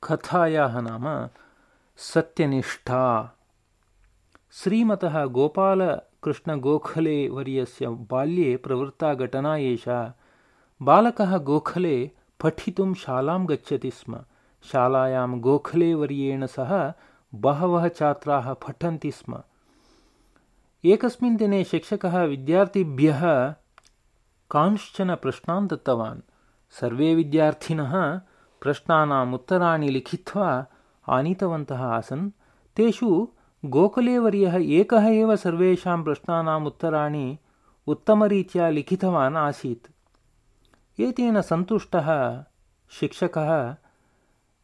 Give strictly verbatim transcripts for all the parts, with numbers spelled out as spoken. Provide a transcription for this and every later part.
कथायाः नाम सत्यनिष्ठा। श्रीमतः गोपालकृष्णगोखले वर्यस्य बाल्ये प्रवृत्ता घटना एषा। बालकः गोखले पठितुं शालां गच्छति स्म। शालायां गोखले वर्येण सह बहवः छात्राः पठन्ति स्म। एकस्मिन् दिने शिक्षकः विद्यार्थिभ्यः कांश्चन प्रश्नान् दत्तवान्। सर्वे विद्यार्थिनः प्रश्नानाम् उत्तराणि लिखित्वा आनीतवन्तः आसन्। तेषु गोखलेवर्यः एकः एव सर्वेषां प्रश्नानाम् उत्तराणि उत्तमरीत्या लिखितवान् आसीत्। एतेन सन्तुष्टः शिक्षकः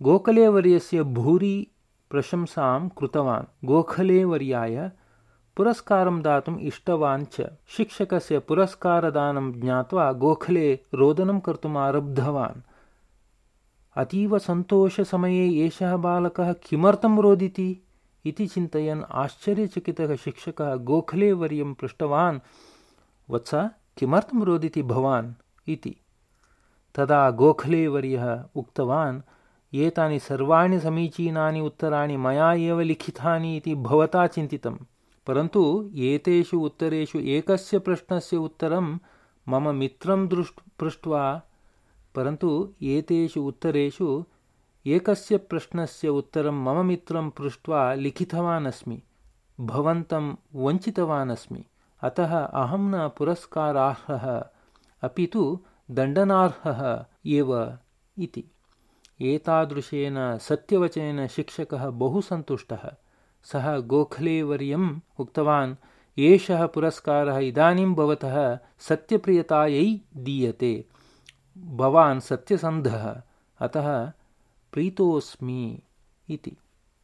गोखलेवर्यस्य भूरि प्रशंसां कृतवान्। गोखलेवर्याय पुरस्कारं दातुम् इष्टवान् च। शिक्षकस्य पुरस्कारदानं ज्ञात्वा गोखले रोदनं कर्तुम् आरब्धवान्। अतीव सन्तोषसमये एषः बालकः किमर्थं रोदिति इति चिन्तयन् आश्चर्यचकितः शिक्षकः गोखलेवर्यं पृष्टवान्, वत्स किमर्थं रोदिति भवान् इति। तदा गोखलेवर्यः उक्तवान्, एतानि सर्वाणि समीचीनानि उत्तराणि मया एव लिखितानि इति भवता चिन्तितं, परन्तु एतेषु उत्तरेषु एकस्य प्रश्नस्य उत्तरं मम मित्रं दृष्ट् पृष्ट्वा परन्तु एतेषु उत्तरेषु एकस्य प्रश्नस्य उत्तरं मम मित्रं पृष्ट्वा लिखितवान् अस्मि। भवन्तं वञ्चितवान् अस्मि। अतः अहं न पुरस्कारार्हः अपि तु दण्डनार्हः एव इति। एतादृशेन सत्यवचनेन शिक्षकः बहु सन्तुष्टः। सः गोखलेवर्यम् उक्तवान्, एषः पुरस्कारः इदानीं भवतः सत्यप्रियतायै दीयते। भवान् सत्यसन्धः, अतः प्रीतोऽस्मि इति।